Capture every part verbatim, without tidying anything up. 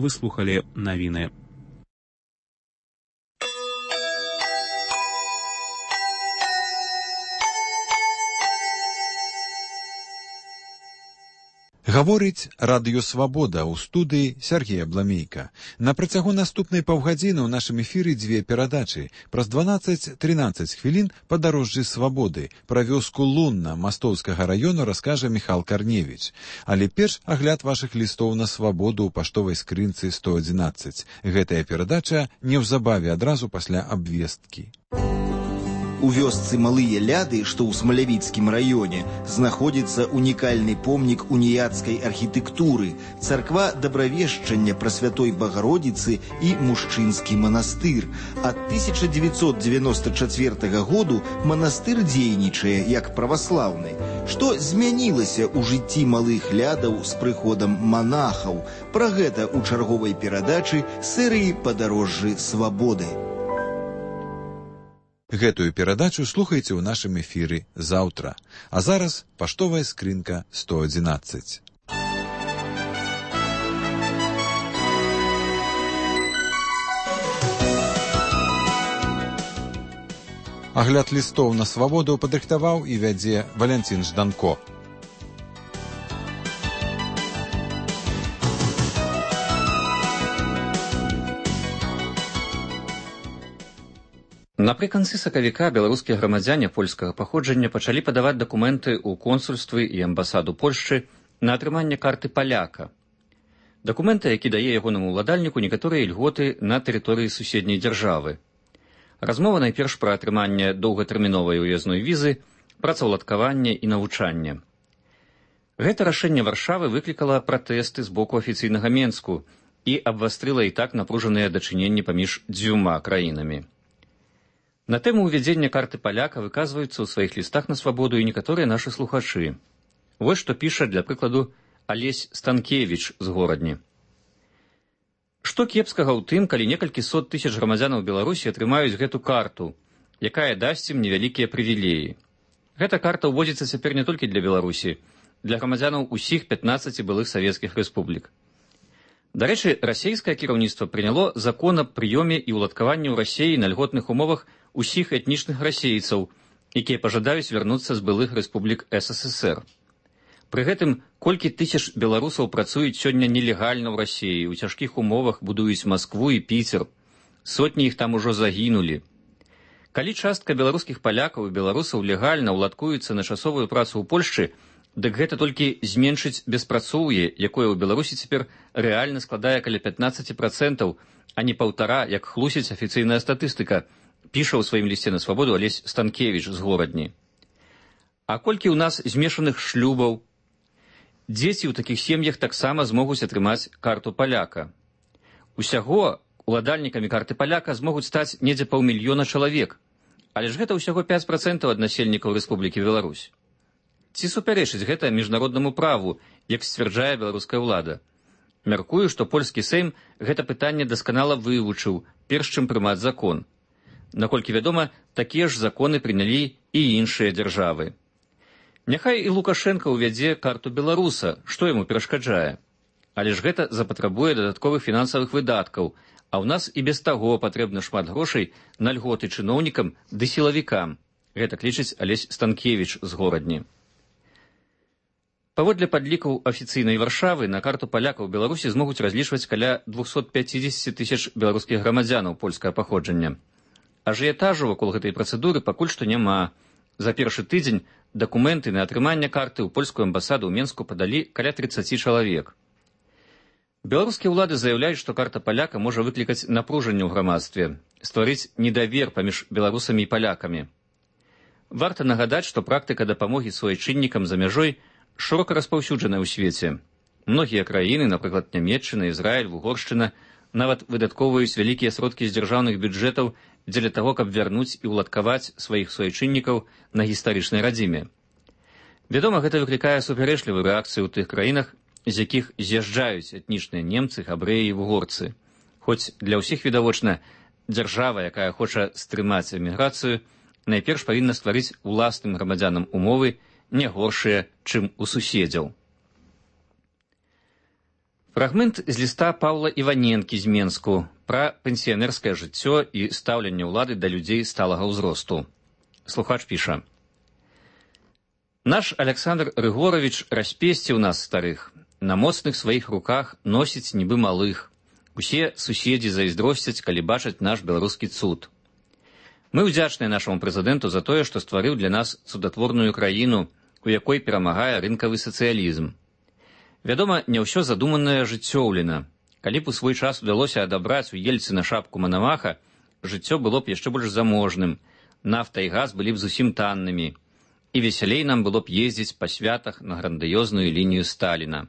вы слухали навіны. Гаворыць радыё «Свабода» ў студыі Сергея Бламейка. На працягу наступнай паўгадзіны ў нашым эфіры дзве перадачы. Праз дванаццаць-трынаццаць хвілін падарожжы свабоды. Пра вёску Лунна Мастоўскага раёну раскажа Міхал Карневіч. Але перш агляд вашых лістоў на свабоду ў паштовай скрынцы сто адзінаццаць. Гэтая перадача неўзабаве адразу пасля абвесткі. У вёсцы Малыя Ляды, што ў Смалявіцкім раёне, знаходзіцца унікальны помнік уніяцкай архітэктуры, царква Дабравешчання Прасвятой Багародзіцы і мужчынскі манастыр. Ад тысяча дзевяцьсот дзевяноста чацвёртага году манастыр дзейнічае як праваслаўны. Што змянілася ў жыцці Малых Лядаў з прыходам манахаў? Пра гэта ў чарговай перадачы серыі «Падарожжы свабоды». Гэтую перадачу слухайце ў нашым эфіры заўтра. А зараз паштовая скрынка сто адзінаццаць. Агляд лістоў на свабоду падрыхтаваў і вядзе Валянцін Жданко. Напрыканцы сакавіка беларускія грамадзяне польскага паходжання пачалі падаваць дакументы ў консульствы і амбасаду Польшчы на атрыманне карты паляка. Дакументы, які дае ягонаму ўладальніку некаторыя ільготы на тэрыторыі суседняй дзяржавы. Размова найперш пра атрыманне доўгатэрміновай уязной візы, працаўладкаванне і навучанне. Гэта рашэнне Варшавы выклікала пратэсты з боку афіцыйнага Менску і абвастрыла і так напружаныя дачыненні паміж дзвюма краінамі. На тэму ўвядзення карты паляка выказваюцца ў сваіх лістах на свабоду і некаторыя нашы слухачы. Вось што піша, для прыкладу, Алесь Станкевіч з Горадні. Што кепскага ў тым, калі некалькі сот тысяч грамадзянаў Беларусі атрымаюць гэту карту, якая дасць ім невялікія прывілеі. Гэта карта ўводзіцца цяпер не толькі для Беларусі, для грамадзянаў усіх пятнаццаці былых савецкіх рэспублік. Дарэчы, расейскае кіраўніцтва прыняло закон аб прыёме і ўладкаванні ў Расеі на льготных умовах усіх этнічных расейцаў, якія пажадаюць вярнуцца з былых рэспублік СССР. Пры гэтым, колькі тысяч беларусаў працуюць сёння нелегальна ў Расеі, у цяжкіх умовах будуюць Маскву і Піцер. Сотні іх там ужо загінулі. Калі частка беларускіх палякаў і беларусаў легальна ўладкуюцца на часовую працу ў Польшчы, дык гэта толькі зменшыць беспрацоўе, якое ў Беларусі цяпер рэальна складае каля пятнаццаць працэнтаў, а не паўтара, як хлусіць афіцыйная статыстыка, піша ў сваім лісце на свабоду Алесь Станкевіч з Горадні. А колькі ў нас змешаных шлюбаў? Дзеці ў такіх сем'ях таксама змогуць атрымаць карту паляка. Усяго уладальнікамі карты паляка змогуць стаць недзе паўмільёна чалавек, але ж гэта ўсяго пяць працэнтаў ад насельнікаў Рэспублікі Беларусь. Ці супярэчыць гэта міжнароднаму праву, як сцвярджае беларуская ўлада? Мяркую, што польскі Сейм гэта пытанне дасканала вывучыў, перш чым прымаць закон. Наколькі вядома, такія ж законы прынялі і іншыя дзяржавы. Няхай і Лукашенка ўвядзе карту беларуса, што яму перашкаджае. Але ж гэта запатрабуе дадатковых фінансавых выдаткаў, а ў нас і без таго патрэбна шмат грошай на льготы чыноўнікам ды сілавікам. Гэта лічыць Алесь Станкевіч з Горадні. Паводле падлікаў афіцыйнай Варшавы, на карту палякаў Беларусі змогуць разлічваць каля двухсот пяцідзесяці тысяч беларускіх грамадзянаў польскага паходжання. Ажыятажу вакол гэтай працэдуры пакуль што няма. За першы тыдзень дакументы на атрыманне карты ў польскую амбасаду ў Менску падалі каля трыццаці чалавек. Беларускія ўлады заяўляюць, што карта паляка можа выклікаць напружанне ў грамадстве, стварыць недавер паміж беларусамі і палякамі. Варта нагадаць, што практыка дапамогі суайчыннікам за мяжой шырока распаўсюджаная ў свеце. Многія краіны, напрыклад, Нямецчына, Ізраіль, Угоршчына, нават выдаткоўваюць вялікія сродкі з дзяржаўных бюджэтаў дзеля таго, каб вярнуць і ўладкаваць сваіх суайчыннікаў на гістарычнай радзіме. Вядома, гэта выклікае супярэчлівую рэакцыю ў тых краінах, з якіх з'язджаюць этнічныя немцы, габрэі і вугорцы. Хоць для ўсіх відавочна, дзяржава, якая хоча стрымаць эміграцыю, найперш павінна стварыць уласным грамадзянам умовы, не горшыя, чым у суседзяў. Фрагмент з ліста Паўла Іваненкі з Менску пра пенсіянерскае жыццё і стаўленне ўлады да людзей сталага ўзросту. Слухач піша: «Наш Александр Рыгорович распесціў нас старых, на моцных сваіх руках носіць нібы малых. Усе суседзі зайздросцяць, калі бачаць наш беларускі цуд. Мы ўдзячныя нашаму прэзідэнту за тое, што стварыў для нас цудатворную краіну, у якой перамагае рынкавы сацыялізм. Вядома, не ўсё задуманае жыццёўлена. Калі б у свой час удалося адабраць у Ельцына шапку Манамаха, жыццё было б яшчэ больш заможным, нафта і газ былі б зусім таннымі, і весялей нам было б ездзіць па святах на грандыёзную лінію Сталіна.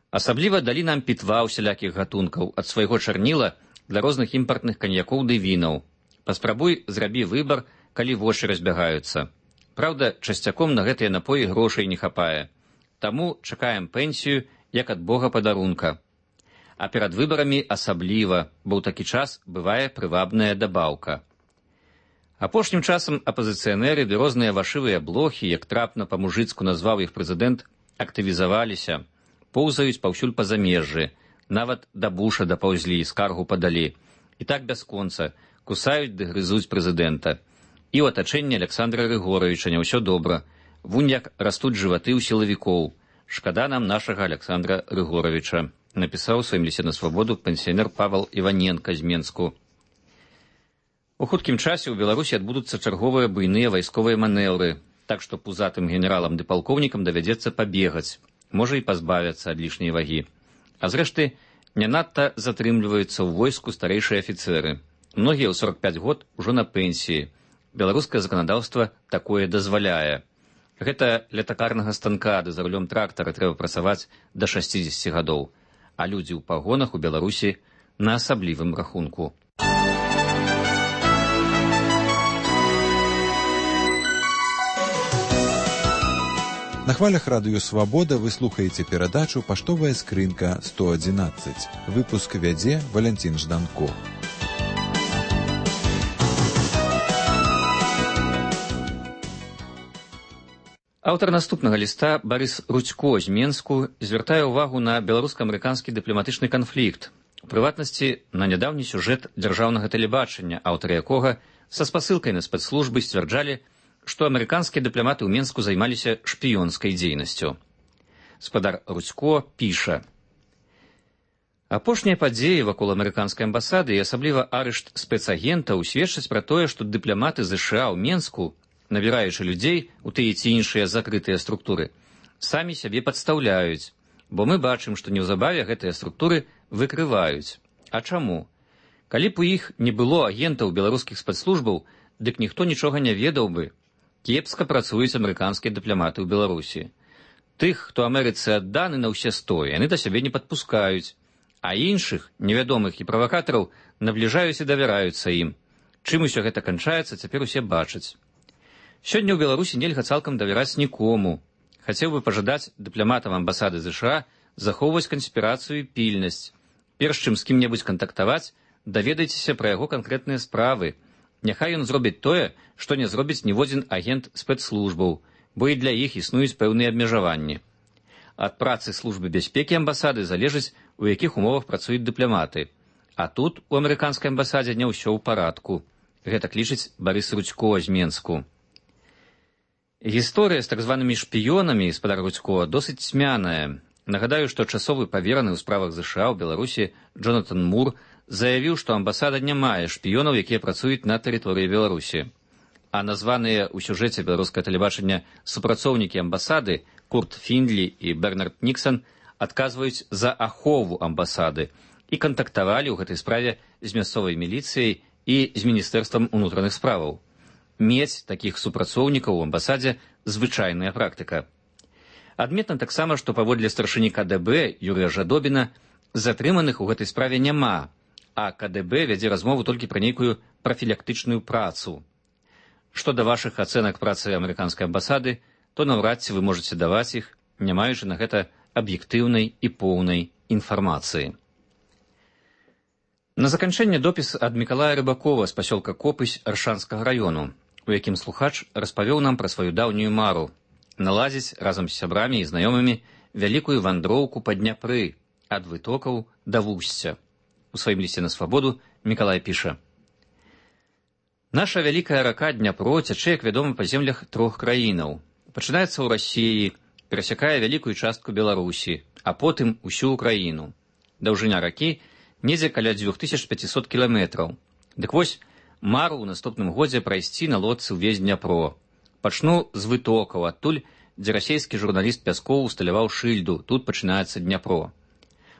Асабліва далі нам пітва ўсялякіх гатункаў, ад свайго чарніла для розных імпартных каньякоў ды вінаў. Паспрабуй, зрабі выбар, калі вочы разбягаюцца. Праўда, часцяком на гэтыя напоі грошай не хапае. Таму чакаем пенсію, як ад Бога падарунка. А перад выбарамі асабліва, бо ў такі час бывае прывабная дабаўка. Апошнім часам апазіцыянеры ды розныя вашывыя блохі, як трапна па-мужыцку назваў іх прэзідэнт, актывізаваліся, поўзаюць паўсюль па замежжы, нават да Буша дапаўзлі, скаргу падалі. І так бясконца, кусаюць ды грызуць прэзідэнта. І ў атачэнні Александра Рыгоровича не ўсё добра. Вунь як растуць жываты ў сілавікоў. Шкада нам нашага Александра Рыгоровича, напісаў у сваім лісце на свабоду пенсіянер Павел Іваненка з Менску. У хуткім часе ў Беларусі адбудуцца чарговыя буйныя вайсковыя манеўры, так што пузатым генералам ды палкоўнікам давядзецца пабегаць, можа і пазбавяцца ад лішняй вагі. А зрэшты, не надта затрымліваюцца ў войску старэйшыя афіцэры. Многія ў сорок пяць год ужо на пенсіі. Беларускае заканадаўства такое дазваляе. Гэта ля такарнага станка ды за рулём трактара трэба працаваць да шасцідзесяці гадоў, а людзі ў пагонах у Беларусі на асаблівым рахунку. На хвалях радыё «Свабода» вы слухаеце перадачу «Паштовая скрынка сто адзінаццаць». Выпуск вядзе Валянцін Жданко. Аўтар наступнага ліста Барыс Рудзько з Менску звяртае ўвагу на беларуска-амерыканскі дыпламатычны канфлікт, у прыватнасці на нядаўні сюжэт дзяржаўнага тэлебачання, аўтары якога са спасылкай на спецслужбы сцвярджалі, што амерыканскія дыпламаты ў Менску займаліся шпіёнскай дзейнасцю. Спадар Рудзько піша: «Апошнія падзеі вакол амерыканскай амбасады і асабліва арышт спецагентаў сведчаць пра тое, што дыпламаты ЗША ў Менску, набіраючы людзей у тыя ці іншыя закрытыя структуры, самі сябе падстаўляюць, бо мы бачым, што неўзабаве гэтыя структуры выкрываюць. А чаму? Калі б у іх не было агентаў беларускіх спецслужбаў, дык ніхто нічога не ведаў бы. Кепска працуюць амерыканскія дыпламаты ў Беларусі. Тых, хто Амерыцы адданы на ўсе сто, яны да сябе не падпускаюць, а іншых, невядомых і правакатараў, набліжаюць і давяраюцца ім. Чым усё гэта канчаецца, цяпер усе бачаць. Сёння ў Беларусі нельга цалкам давяраць нікому. Хацеў бы пажадаць дыпламатам амбасады ЗША захоўваць канспірацыю і пільнасць. Перш чым з кім-небудзь кантактаваць, даведайцеся пра яго канкрэтныя справы. Няхай ён зробіць тое, што не зробіць ніводзін агент спецслужбаў, бо і для іх існуюць пэўныя абмежаванні. Ад працы службы бяспекі амбасады залежыць, у якіх умовах працуюць дыпламаты. А тут у амерыканскай амбасадзе не ўсё ў парадку. Гэтак лічыць Барыс Рудзько з Менску. Гісторыя з так званымі шпіёнамі, спадар Рудзько, досыць цьмяная. Нагадаю, што часовы павераны ў справах ЗША ў Беларусі Джонатан Мур заявіў, што амбасада не мае шпіёнаў, якія працуюць на тэрыторыі Беларусі. А названыя ў сюжэце беларускае тэлебачання супрацоўнікі амбасады Курт Фіндлі і Бернард Ніксан адказваюць за ахову амбасады і кантактавалі ў гэтай справе з мясцовай міліцыяй і з міністэрствам унутраных справаў. Мець такіх супрацоўнікаў у амбасадзе звычайная практыка. Адметна таксама, што паводле старшыні КДБ Юрыя Жадобіна затрыманых у гэтай справе няма, а КДБ вядзе размову толькі пра нейкую прафілактычную працу. Што да вашых ацэнак працы амерыканскай амбасады, то наўрад ці вы можаце даваць іх, не маючы на гэта аб'ектыўнай і поўнай інфармацыі. На заканчэнне допіс ад Мікалая Рыбакова з пасёлка Копысь Аршанскага раёну, у якім слухач распавёў нам пра сваю даўнюю мару наладзіць разам з сябрамі і знаёмымі вялікую вандроўку па Дняпры, ад вытокаў да вусця. У сваім лісце на свабоду Мікалай піша: «Наша вялікая рака Дняпро цячэ, як вядома, па землях трох краінаў. Пачынаецца ў Расіі, перасякае вялікую частку Беларусі, а потым усю Украіну. Даўжыня ракі недзе каля дзвюх тысяч пяцісот кіламетраў. Дык вось, мару ў наступным годзе прайсці на лодцы ўвесь Дняпро. Пачну з вытокаў, адтуль, дзе расійскі журналіст Пяскоў усталяваў шыльду, тут пачынаецца Дняпро.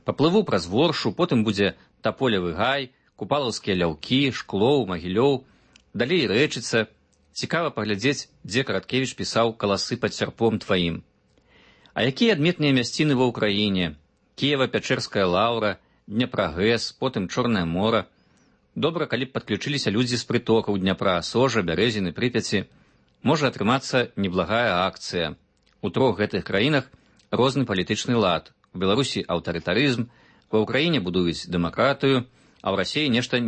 Паплыву праз Воршу, потым будзе Таполевы гай, Купалаўскія ляўкі, Шклоў, Магілёў, далей Рэчыца. Цікава паглядзець, дзе Караткевіч пісаў «Каласы пад сярпом тваім». А якія адметныя мясціны ва ўкраіне? Кіева-Пячэрская лаўра, Дняпрагэс, потым Чорнае мора. Добра, калі б падключыліся людзі з прытокаў Дняпра, Сожа, Бярэзіны, Прыпяці. Можа атрымацца неблагая акцыя. У трох гэтых краінах розны палітычны лад. У Беларусі аўтарытарызм, ва ўкраіне будуюць дэмакратыю, а ў Расіі нешта